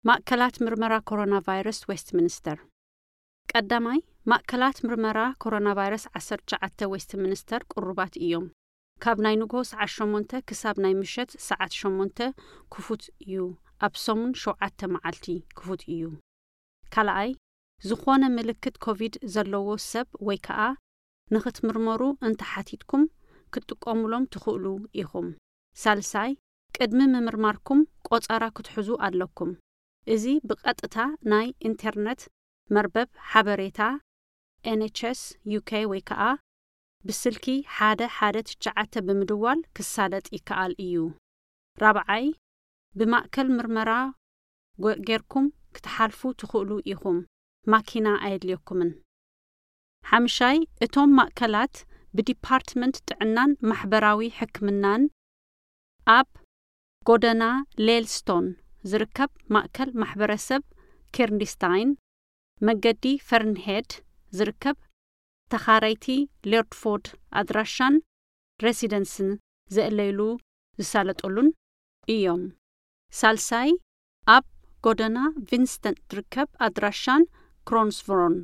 ማእከላት ምርመራ ኮሮና ቫይረስ ዌስትሚኒስተር። ቀዳማይ፣ ማእከላት ምርመራ ኮሮና ቫይረስ ዓሰርተ ትሽዓተ ዌስትሚኒስተር ቅሩባት እዮም። ካብ ናይ ንግሆ ሰዓት ሸሞንተ ክሳብ ናይ ምሸት ሰዓት ሸሞንተ ክፉት እዩ። ኣብ ሰሙን ሸውዓተ መዓልቲ ክፉት እዩ። ካልኣይ፣ ዝኾነ ምልክት ኮቪድ ዘለዎ ሰብ ወይ ከኣ ንኽትምርመሩ እንተሓቲትኩም ክትጥቀሙሎም ትኽእሉ ኢኹም። ሳልሳይ፣ ቅድሚ ምምርማርኩም ቆጸራ ክትሕዙ ኣለኩም። እዚ ብቐጥታ ናይ ኢንተርነት መርበብ ሓበሬታ ኤን ኤች ኤስ ዩ ኬ ወይ ከኣ ብስልኪ ሓደ ሓደ ትሽዓተ ብምድዋል ክሳለጥ ይከኣል እዩ። ራብዓይ፣ ብማእከል ምርመራ ጎ-፣ ጌርኩም ክትሓልፉ ትኽእሉ ኢኹም። ማኪና ኣየድልየኩምን። ሓምሻይ፣ እቶም ማእከላት ብዲፓርትመንት ጥዕናን ማሕበራዊ ሕክምናን ኣብ ጎደና ሌልስቶን ዝርከብ ማእከል ማሕበረሰብ ኬርንዲስታይን፣ መገዲ ፈርንሄድ ዝርከብ ተኻረይቲ ሌርድፎርድ ኣድራሻን ሬሲደንስን ዘእለይሉ ዝሳለጠሉን እዮም። ሳልሳይ፣ ኣብ ጎደና ቪንስተንት ዝርከብ ኣድራሻን ክሮንስቭሮን